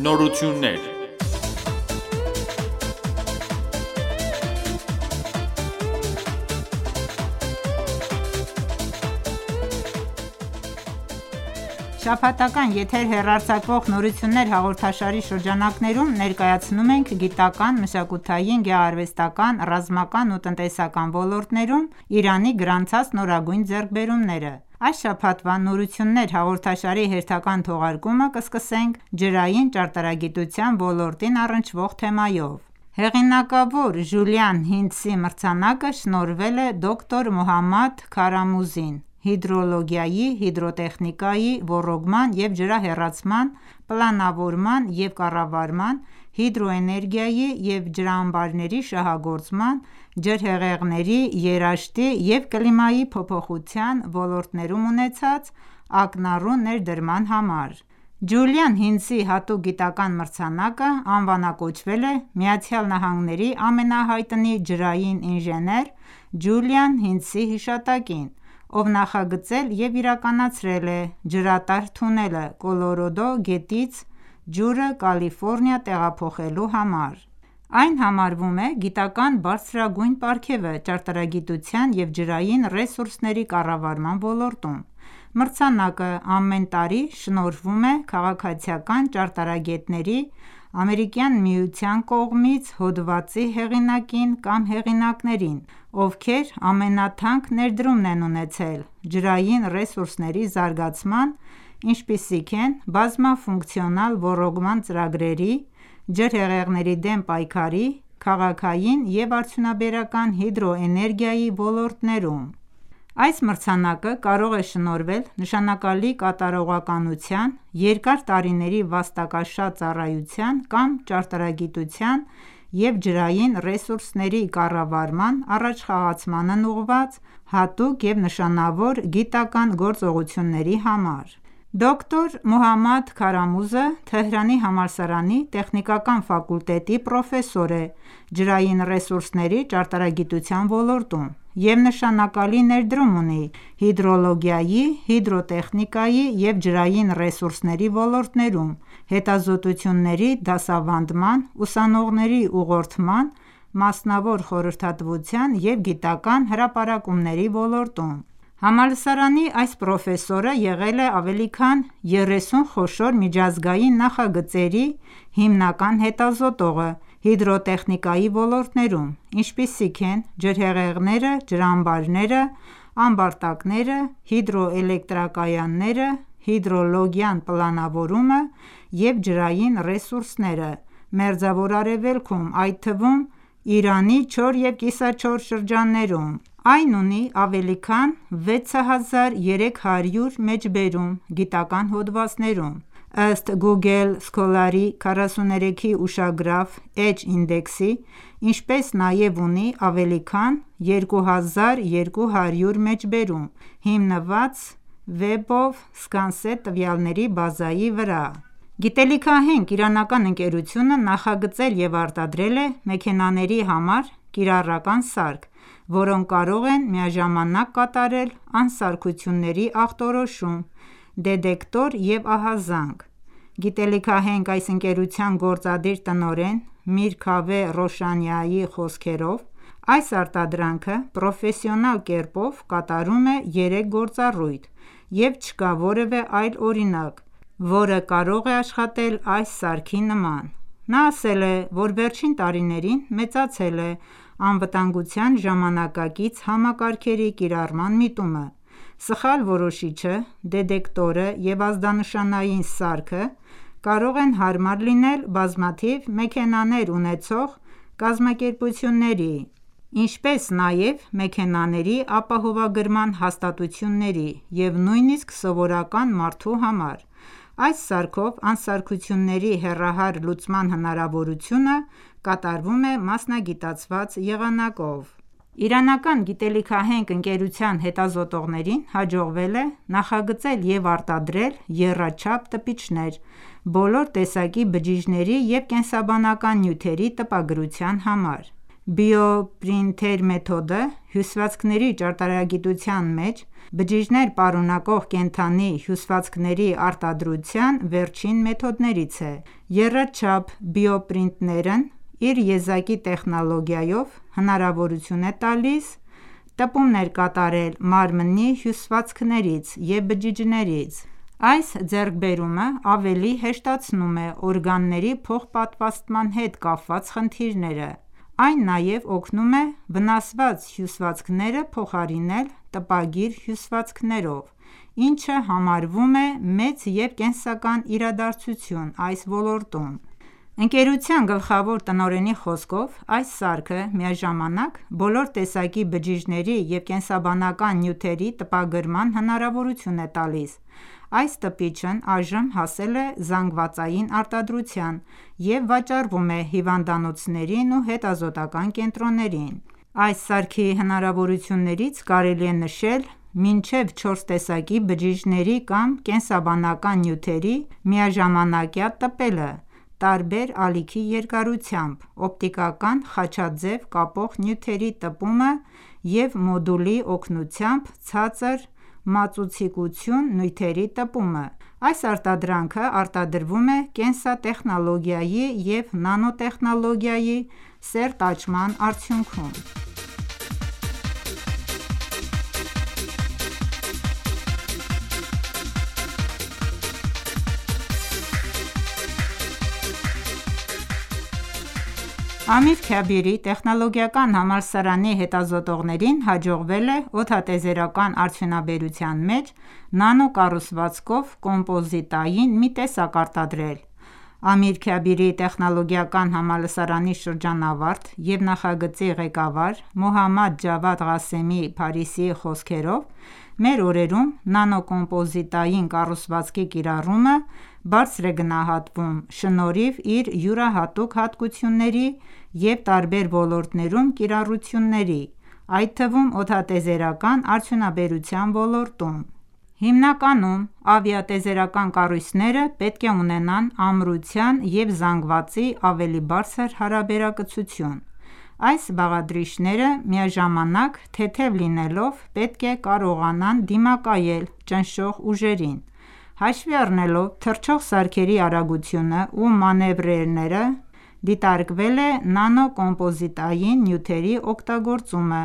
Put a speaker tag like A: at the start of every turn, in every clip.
A: Նորություններ։
B: Շաբաթական եթեր հեռարձակվող «Նորություններ» հաղորդաշարի շրջանակներում ներկայացնում ենք գիտական, մշակութային, գեղարվեստական, ռազմական ու տնտեսական ոլորտներում Իրանի գրանցած նորագույն ձեռքբերումները։ Այս շաբաթվա «Նորություններ» հաղորդաշարի հերթական թողարկումը կսկսենք ջրային ճարտարագիտության ոլորտին առնչվող թեմայով։ Հեղինակավոր Ժուլիան Հինցի մրցանակը շնորհվել է դոկտոր Մոհամմադ Քարամուզին հիդրոլոգիայի, հիդրոտեխնիկայի, ոռոգման և ջրահեռացման, պլանավորման և կառավարման, հիդրոէներգիայի և ջրամբարների շահագործման, ջրհեղեղների, երաշտի և կլիմայի փոփոխության ոլորտներում ունեցած ակնառու ներդրման համար։ Ջուլիան Հինցի հատուկ գիտական մրցանակը անվանակոչվել է ԱՄՆ-ի ամենահայտնի ջրային ինժեներ Ջուլիան Հինցի հիշատակին, ով նախագծել և իրականացրել է ջրատար թունելը Կոլորադո գետից ջուրը Կալիֆորնիա տեղափոխելու համար։ Այն համարվում է գիտական բարձրագույն պարգևը ճարտարագիտության և ջրային ռեսուրսների կառավարման ոլորտում։ Մրցանակը ամեն տարի շնորհվում է քաղաքացիական ճարտարագետների ԱՄՆ-ի կողմից հոդվածի հեղինակին կամ հեղինակներին, ովքեր ամենաթանկ ներդրումն են ունեցել ջրային ռեսուրսների զարգացման, ինչպիսիք են բազմաֆունկցիոնալ ոռոգման ծրագրերի, ջրհեղեղների դեմ պայքարի, քաղաքային և արդյունաբերական հիդրոէներգիայի ոլորտներում։ Այս մրցանակը կարող է շնորհվել նշանակալի կատարողականության, երկար տարիների վաստակաշատ ծառայության կամ ճարտարագիտության և ջրային ռեսուրսների կառավարման առաջխաղացմանն ուղղված հատուկ և նշանավոր գիտական գործողությունների համար։ Դոկտոր Մոհամմադ Քարամուզը Թեհրանի համալսարանի տեխնիկական ֆակուլտետի պրոֆեսոր է ջրային ռեսուրսների ճարտարագիտության ոլորտում և նշանակալի ներդրում ունի հիդրոլոգիայի, հիդրոտեխնիկայի և ջրային ռեսուրսների ոլորտներում հետազոտությունների դասավանդման, ուսանողների ուղղորդման, մասնավոր խորհրդատվության և գիտական հրապարակումների ոլորտում։ Համալսարանի այս պրոֆեսորը եղել է ավելի քան 30 խոշոր միջազգային նախագծերի հիմնական հետազոտողը հիդրոտեխնիկայի ոլորտներում, ինչպիսիք են ջրհեղեղները, ջրամբարները, ամբարտակները, հիդրոէլեկտրակայանները, հիդրոլոգիան, պլանավորումը և ջրային ռեսուրսները Մերձավոր Արևելքում, այդ թվում Իրանի չոր և կիսաչոր շրջաններում։ Այն ունի ավելի քան 6300 մեջբերում գիտական հոդվածներում։ Ըստ Google Scholar-ի 43-ի ուշագրավ Edge ինդեքսի, ինչպես նաև ունի ավելի քան 2200 մեջբերում՝ հիմնված Web of Science տվյալների բազայի վրա։ Գիտելիքահենք իրանական ընկերությունը նախագծել և արտադրել է մեքենաների համար կիրառական սարք, որոնք կարող են միաժամանակ կատարել անսարքությունների ախտորոշում, դետեկտոր և ահազանգ։ Գիտելիքահենք այս ընկերության գործադիր տնօրեն Միր Քավեհ Ռոշանիայի խոսքերով, այս արտադրանքը պրոֆեսիոնալ կերպով կատարում է 3 գործառույթ և չկա որևէ այլ օրինակ, որը կարող է աշխատել այս սարքի նման։ Նա ասել է, որ վերջին տարիներին մեծացել է անվտանգության ժամանակակից համակարգերի կիրառման միտումը։ Սխալ որոշիչը, դետեկտորը և ազդանշանային սարքը կարող են հարմար լինել բազմաթիվ մեքենաներ ունեցող կազմակերպությունների, ինչպես նաև մեքենաների ապահովագրման հաստատությունների և նույնիսկ սովորական մարդու համար։ Այս սարքով անսարքությունների հեռահար լուծման հնարավորությունը կատարվում է մասնագիտացված եղանակով։ Իրանական գիտելիքահենք ընկերության հետազոտողներին հաջողվել է նախագծել և արտադրել եռաչափ տպիչներ բոլոր տեսակի բջիջների և կենսաբանական նյութերի տպագրության համար։ Բիոպրինթեր մեթոդը հյուսվածքների ճարտարագիտության մեջ բջիջներ պարունակող կենդանի հյուսվածքների արտադրության վերջին մեթոդներից է։ Եռաչափ բիոպրինտերն իր եզակի տեխնոլոգիայով հնարավորություն է տալիս տպումներ կատարել մարմնի հյուսվածքներից և բջիջներից։ Այս ձեռքբերումը ավելի հեշտացնում է օրգանների փոխպատվաստման հետ կապված խնդիրները։ Այն նաև օգնում է վնասված հյուսվածքները փոխարինել տպագիր հյուսվածքներով, ինչը համարվում է մեծ և կենսական իրադարձություն այս ոլորտում։ Ընկերության գլխավոր տնօրենի խոսքով, այս սարքը միաժամանակ բոլոր տեսակի բջիջների և կենսաբանական նյութերի տպագրման հնարավորություն է տալիս։ Այս տպիչն այժմ հասել է զանգվածային արտադրության և վաճառվում է հիվանդանոցներին ու հետազոտական կենտրոններին։ Այս սարքի հնարավորություններից կարելի է նշել մինչև 4 տեսակի բջիջների կամ կենսաբանական նյութերի միաժամանակյա տպելը տարբեր ալիքի երկարությամբ, օպտիկական խաչաձև կապող նյութերի տպումը և մոդուլի օգնությամբ ցածր մածուցիկություն նյութերի տպումը։ Այս արտադրանքը արտադրվում է կենսատեխնոլոգիայի և նանոտեխնոլոգիայի սերտ աճման արդյունքում։ Ամիր Քաբիրի տեխնոլոգիական համալսարանի հետազոտողներին հաջողվել է օդատիեզերական արդյունաբերության մեջ նանո-կառուցվածքով կոմպոզիտային մի տեսակ արտադրել։ Ամիր Քաբիրի տեխնոլոգիական համալսարանի շրջանավարտ և նախագծի ղեկավար Մոհամմադ Ջավադ Ղասեմի Փարիսիի խոսքերով, մեր օրերում նանո-կոմպոզիտային կառուցվածքի կիրառումը բարձր է գնահատվում շնորհիվ իր յուրահատուկ հատկությունների և տարբեր ոլորտներում կիրառությունների, այդ թվում օդատիեզերական արդյունաբերության ոլորտում։ Հիմնականում ավիատիեզերական կառույցները պետք է ունենան ամրության և զանգվածի ավելի բարձր հարաբերակցություն։ Այս բաղադրիչները միաժամանակ թեթև լինելով պետք է կարողանան դիմակայել ճնշող ուժերին։ Հաշվի առնելով թռչող սարքերի արագությունը ու մանևրները, դիտարկվել է նանո-կոմպոզիտային նյութերի օգտագործումը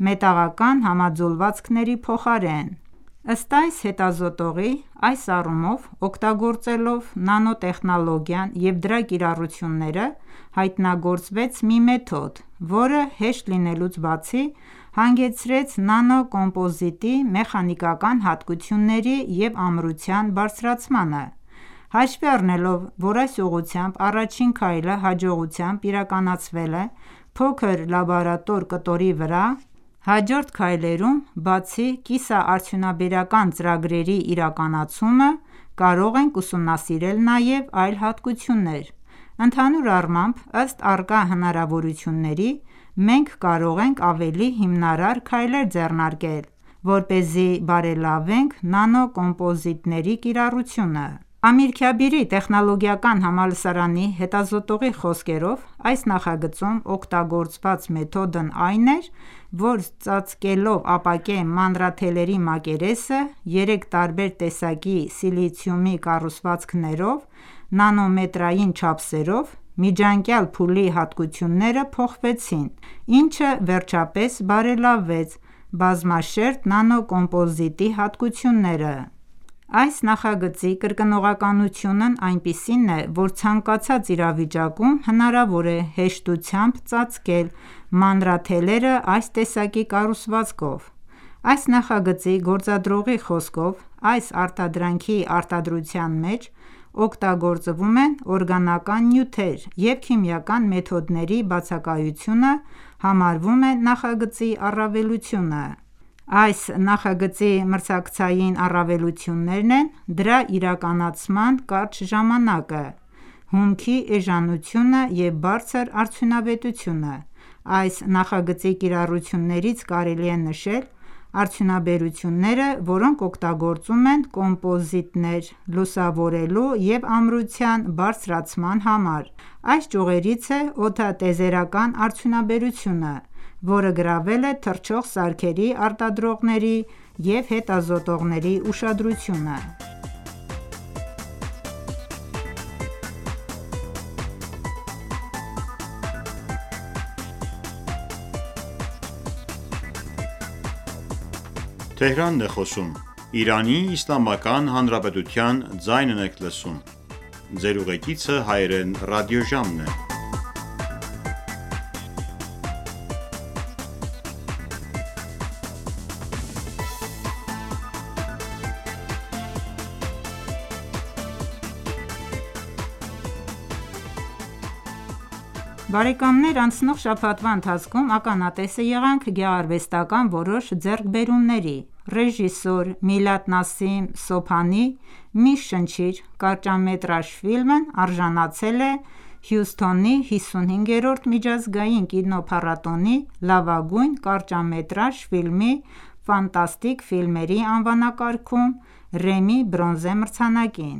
B: մետաղական համաձուլվածքների փոխարեն։ Ըստ այս հետազոտողի, այս առումով օգտագործելով նանոտեխնոլոգիան և դրա կիրառությունները, հայտնագործվեց մի մեթոդ, որը հեշտ լինելուց բացի, հանգեցրեց նանո-կոմպոզիտի մեխանիկական հատկությունների և ամրության բարձրացմանը։ Հաշվի առնելով, որ այս ուղղությամբ առաջին քայլը հաջողությամբ իրականացվել է փոքր լաբորատոր կտորի վրա, հաջորդ քայլերում, բացի կիսաարդյունաբերական ծրագրերի իրականացումը, կարող ենք ուսումնասիրել նաև այլ հատկություններ։ Ընդհանուր առմամբ, ըստ առկա հնարավորությունների, մենք կարող ենք ավելի հիմնարար քայլեր ձեռնարկել, որպեսզի բարելավենք նանո-կոմպոզիտների կիրառությունը։ Ամիր Քաբիրի տեխնոլոգիական համալսարանի հետազոտողի խոսքերով, այս նախագծում օգտագործված մեթոդն այն էր, որ ծածկելով ապակե մանրաթելերի մակերեսը 3 տարբեր տեսակի սիլիցիումի կառուցվածքներով նանոմետրային չափսերով, միջանկյալ փուլի հատկությունները փոխվեցին, ինչը վերջապես բարելավեց բազմաշերտ նանո-կոմպոզիտի հատկությունները։ Այս նախագծի կրկնողականությունն այնպիսին է, որ ցանկացած իրավիճակում հնարավոր է հեշտությամբ ծածկել մանրաթելերը այս տեսակի կառուցվածքով։ Այս նախագծի գործադրողի խոսքով, այս արտադրանքի արտադրության մեջ օգտագործվում են օրգանական նյութեր և քիմիական մեթոդների բացակայությունը համարվում է նախագծի առավելությունը։ Այս նախագծի մրցակցային առավելություններն են դրա իրականացման կարճ ժամանակը, հումքի էժանությունը և բարձր արդյունավետությունը։ Այս նախագծի կիրառություններից կարելի է նշել Արդյունաբերությունները, որոնք օգտագործում են կոմպոզիտներ լուսավորելու և ամրության բարձրացման համար: Այս ճյուղերից է օդատիեզերական արդյունաբերությունը, որը գրավել է թռչող սարքերի արտադրողների և հետազոտողների ուշադրությունը: Բարեկամներ անցնող շաբաթվա ընթացքում ականատես եղանք գեղարվեստական որոշ ձեռքբերումների: Ռեժիսոր Միլադ Նասիմ Սոբհանի «Մի շնչիր» կարճամետրաժ ֆիլմն արժանացել է Հյուսթոնի 55-րդ միջազգային կինոփառատոնի «Լավագույն կարճամետրաժ ֆիլմի» ֆանտաստիկ ֆիլմերի անվանակարգում Ռեմմի բրոնզե մրցանակին: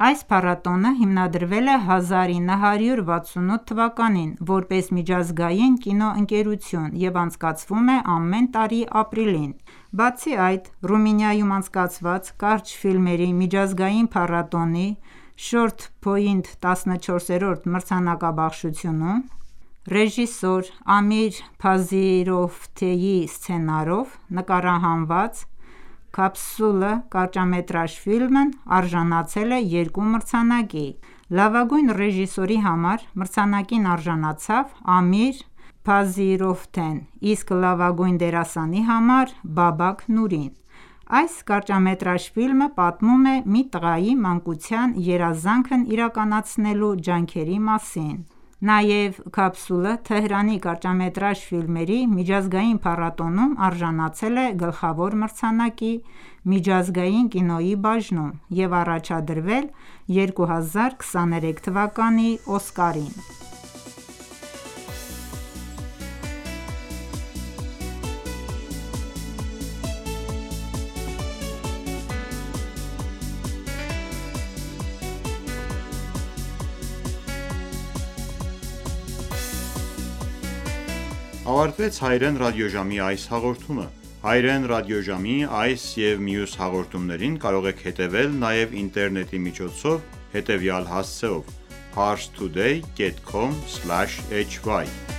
B: Այս փառատոնը հիմնադրվել է 1968 թվականին որպես միջազգային կինոընկերություն և անցկացվում է ամեն տարի ապրիլին: Բացի այդ, Ռումինիայում անցկացված կարճ ֆիլմերի միջազգային փառատոնի «Շորթ Փոյնթ» 14-րդ մրցանակաբաշխությունում ռեժիսոր Ամիր Փազիրովթեի սցենարով նկարահանված «Քապսուլը» կարճամետրաժ ֆիլմն արժանացել է երկու մրցանակի: Լավագույն ռեժիսորի համար մրցանակին արժանացավ Ամիր Փազիրովթեն, իսկ լավագույն դերասանի համար՝ Բաբակ Նուրին: Այս կարճամետրաժ ֆիլմը պատմում է մի տղայի մանկության երազանքն իրականացնելու ջանքերի մասին: Նաև «Քապսուլը» Թեհրանի կարճամետրաժ ֆիլմերի միջազգային փառատոնում արժանացել է գլխավոր մրցանակի միջազգային կինոյի բաժնում և առաջադրվել 2023 թվականի Օսկարին:
A: Ավարտվեց հայրեն ռադիոժամի այս հաղորդումը: Հայրեն ռադիոժամի այս և մյուս հաղորդումներին կարող եք հետևել նաև ինտերնետի միջոցով հետևյալ հասցեով՝ Parstoday.com/hy